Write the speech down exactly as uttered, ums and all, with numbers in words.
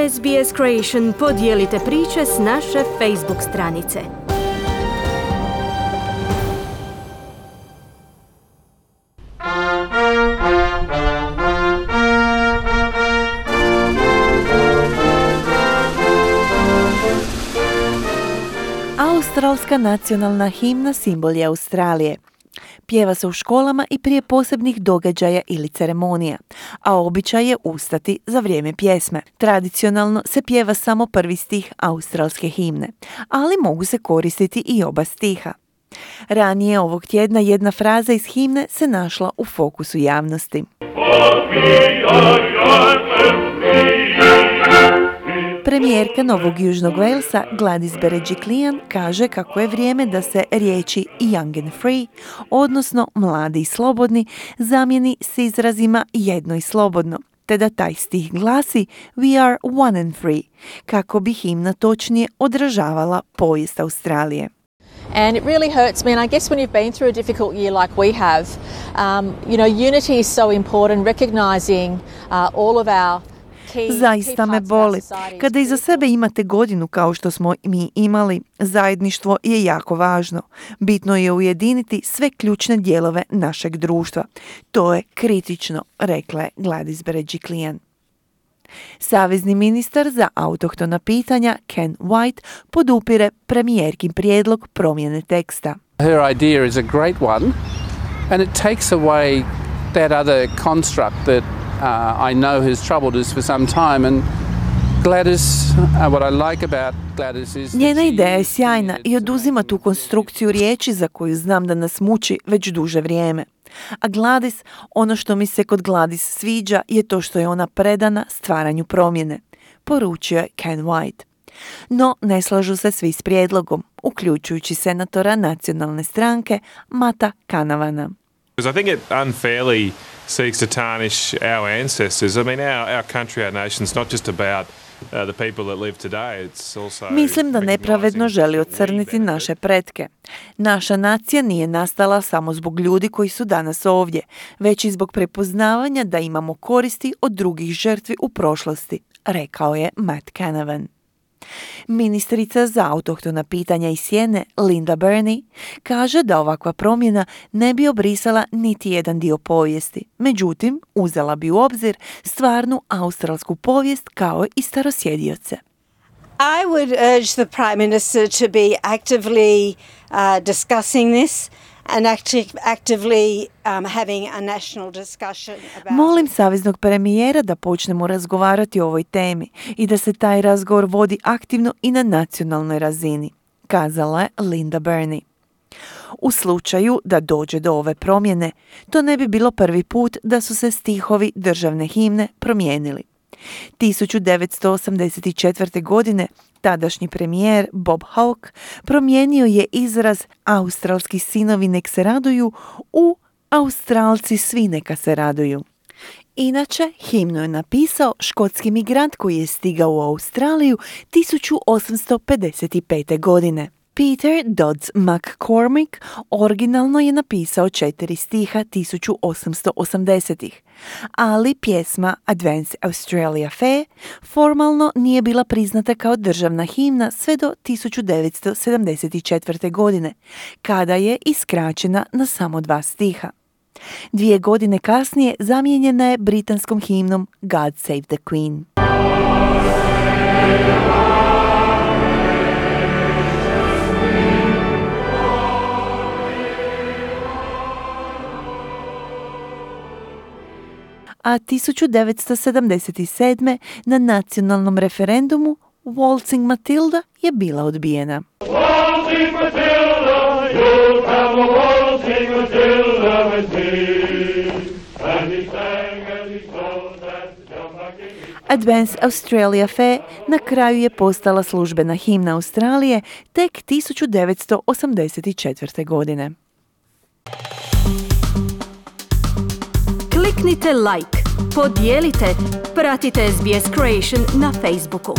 S B S Creation podijelite priče s naše Facebook stranice. Australska nacionalna himna simbol je Australije. Pjeva se u školama i prije posebnih događaja ili ceremonija, a običaj je ustati za vrijeme pjesme. Tradicionalno se pjeva samo prvi stih australske himne, ali mogu se koristiti i oba stiha. Ranije ovog tjedna jedna fraza iz himne se našla u fokusu javnosti. Premijerka Novog Južnog Walesa Gladys Berejiklian kaže kako je vrijeme da se riječi young and free, odnosno mladi i slobodni, zamijeni s izrazima jedno i slobodno, te da taj stih glasi We are one and free, kako bi himna točnije odražavala povijest Australije. And it really hurts me, and I guess when you've been through a difficult year like we have, um, you know, unity is so important, recognizing uh, all of our Zaista me boli. Kada iza sebe imate godinu kao što smo mi imali, zajedništvo je jako važno. Bitno je ujediniti sve ključne dijelove našeg društva. To je kritično, rekla je Gladys Berejiklian. Savezni ministar za autohtona pitanja Ken White podupire premijerkin prijedlog promjene teksta. Her idea is a great one, and it takes away that other construct that Uh, I know has troubled us for some time, and Gladys, uh, what I like about Gladys is... Njena ideja je sjajna i oduzima tu konstrukciju riječi za koju znam da nas muči već duže vrijeme. A Gladys, ono što mi se kod Gladys sviđa je to što je ona predana stvaranju promjene, poručio je Ken White. No, ne slažu se svi s prijedlogom, uključujući senatora nacionalne stranke Matta Canavana. I think it unfairly seeks to tarnish our ancestors. I mean, our, our country, our nation's not just about uh, the people that live today. It's also Mislim da nepravedno želi ocrniti naše pretke. Naša nacija nije nastala samo zbog ljudi koji su danas ovdje, već i zbog prepoznavanja da imamo koristi od drugih žrtvi u prošlosti, rekao je Matt Canavan. Ministrica za autohtona pitanja iz Sjene, Linda Burney, kaže da ovakva promjena ne bi obrisala niti jedan dio povijesti. Međutim, uzela bi u obzir stvarnu australsku povijest kao i starosjedioce. I would urge the Prime Minister to be actively uh, discussing this and actively um, having a national discussion about... Molim saveznog premijera da počnemo razgovarati o ovoj temi i da se taj razgovor vodi aktivno i na nacionalnoj razini, kazala je Linda Burney. U slučaju da dođe do ove promjene, to ne bi bilo prvi put da su se stihovi državne himne promijenili. tisuću devetsto osamdeset četvrte. godine tadašnji premijer Bob Hawke promijenio je izraz Australski sinovi nek se raduju u Australci svi neka se raduju. Inače, himnu je napisao škotski migrant koji je stigao u Australiju tisuću osamsto pedeset pete. godine. Peter Dodds McCormick originalno je napisao četiri stiha tisuću osamsto osamdesetih, ali pjesma Advance Australia Fair formalno nije bila priznata kao državna himna sve do tisuću devetsto sedamdeset četvrte. godine, kada je iskraćena na samo dva stiha. Dvije godine kasnije zamijenjena je britanskom himnom God Save the Queen. A tisuću devetsto sedamdeset sedme. na nacionalnom referendumu Waltzing Matilda je bila odbijena. Waltzing Matilda, you'll have a waltzing Matilda with me. And he sang as he told that John McGinnis. Advance Australia Fair na kraju je postala službena himna Australije tek tisuću devetsto osamdeset četvrte. godine. Kliknite like, podijelite, pratite S B S Creation na Facebooku.